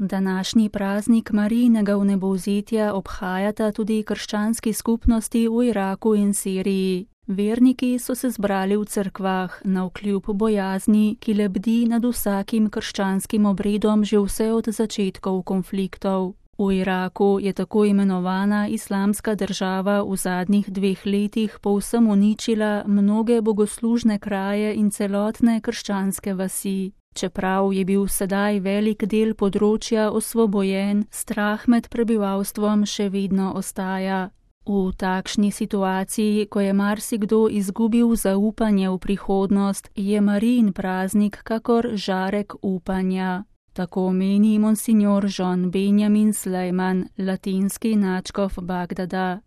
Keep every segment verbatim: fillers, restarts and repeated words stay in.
Današnji praznik Marijinega vnebovzetja obhajata tudi krščanski skupnosti v Iraku in Siriji. Verniki so se zbrali v cerkvah, navkljub bojazni, ki lebdi nad vsakim krščanskim obredom že vse od začetkov konfliktov. V Iraku je tako imenovana islamska država v zadnjih dveh letih povsem uničila mnoge bogoslužne kraje in celotne krščanske vasi. Čeprav je bil sedaj velik del področja osvobojen, strah med prebivalstvom še vedno ostaja. V takšni situaciji, ko je marsikdo izgubil zaupanje v prihodnost, je Marijin praznik kakor žarek upanja. Tako meni monsignor John Benjamin Slejman, latinski nadškof Bagdada.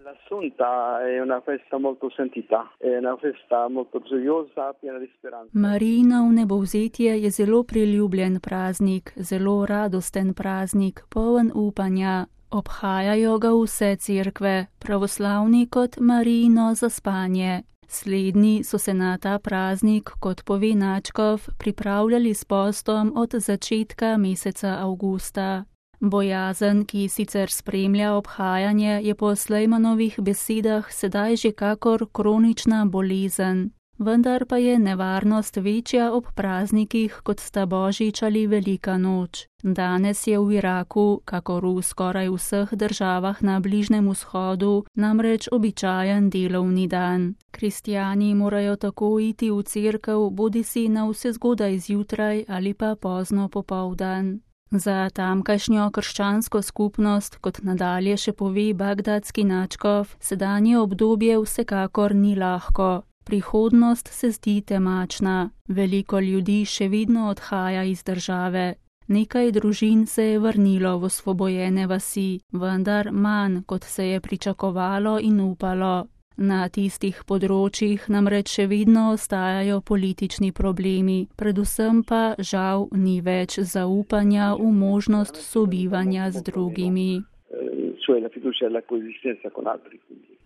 Marijino vnebovzetje je zelo priljubljen praznik, zelo radosten praznik, poln upanja. Obhajajo ga vse cerkve, pravoslavni kot Marijino zaspanje. Slednji so se na ta praznik, kot pove nadškof, pripravljali s postom od začetka meseca avgusta. Bojazen, ki sicer spremlja obhajanje, je po Slejmanovih besedah sedaj že kakor kronična bolezen. Vendar pa je nevarnost večja ob praznikih, kot sta Božič ali Velika noč. Danes je v Iraku, kakor v skoraj vseh državah na Bližnjem vzhodu, namreč običajen delovni dan. Kristjani morajo tako iti v cerkev bodisi na vse zgodaj zjutraj ali pa pozno popoldan. Za tamkajšnjo krščansko skupnost, kot nadalje še pove bagdadski nadškof, sedanje obdobje vsekakor ni lahko. Prihodnost se zdi temačna. Veliko ljudi še vedno odhaja iz države. Nekaj družin se je vrnilo v osvobojene vasi, vendar manj, kot se je pričakovalo in upalo. Na tistih področjih namreč še vedno ostajajo politični problemi, predvsem pa žal ni več zaupanja v možnost sobivanja z drugimi.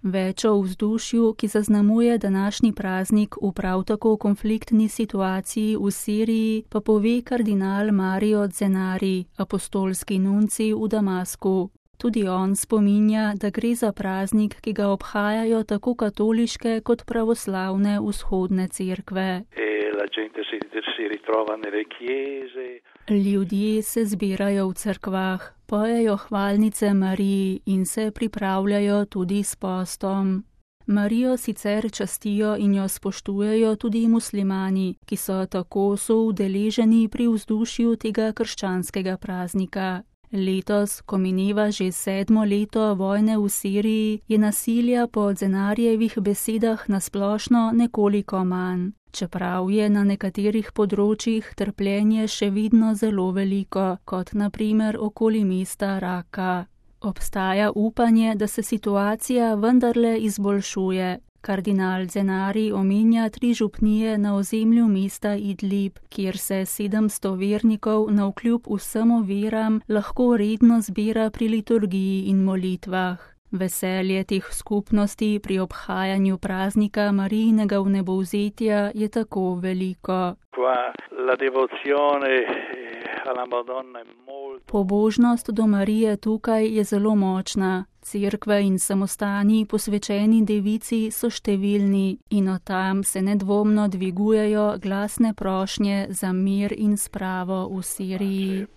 Več o vzdušju, ki zaznamuje današnji praznik v prav tako konfliktni situaciji v Siriji, pa pove kardinal Mario Zenari, apostolski nuncij v Damasku. Tudi on spominja, da gre za praznik, ki ga obhajajo tako katoliške kot pravoslavne vzhodne cerkve. Ljudje se zbirajo v cerkvah, pojejo hvalnice Mariji in se pripravljajo tudi s postom. Marijo sicer častijo in jo spoštujejo tudi muslimani, ki so tako soudeleženi pri vzdušju tega krščanskega praznika. Letos, ko mineva že sedmo leto vojne v Siriji, je nasilja po Zenarjevih besedah nasplošno nekoliko manj. Čeprav je na nekaterih področjih trpljenje še vedno zelo veliko, kot na primer okoli mesta Raka. Obstaja upanje, da se situacija vendarle izboljšuje. Kardinal Zenari omenja tri župnije na ozemlju mesta Idlib, kjer se sedemsto vernikov navkljub vsem veram lahko redno zbira pri liturgiji in molitvah. Veselje teh skupnosti pri obhajanju praznika Marijinega vnebovzetja je tako veliko. Pobožnost do Marije tukaj je zelo močna. Cerkve in samostani posvečeni devici so številni in od tam se nedvomno dvigujejo glasne prošnje za mir in spravo v Siriji.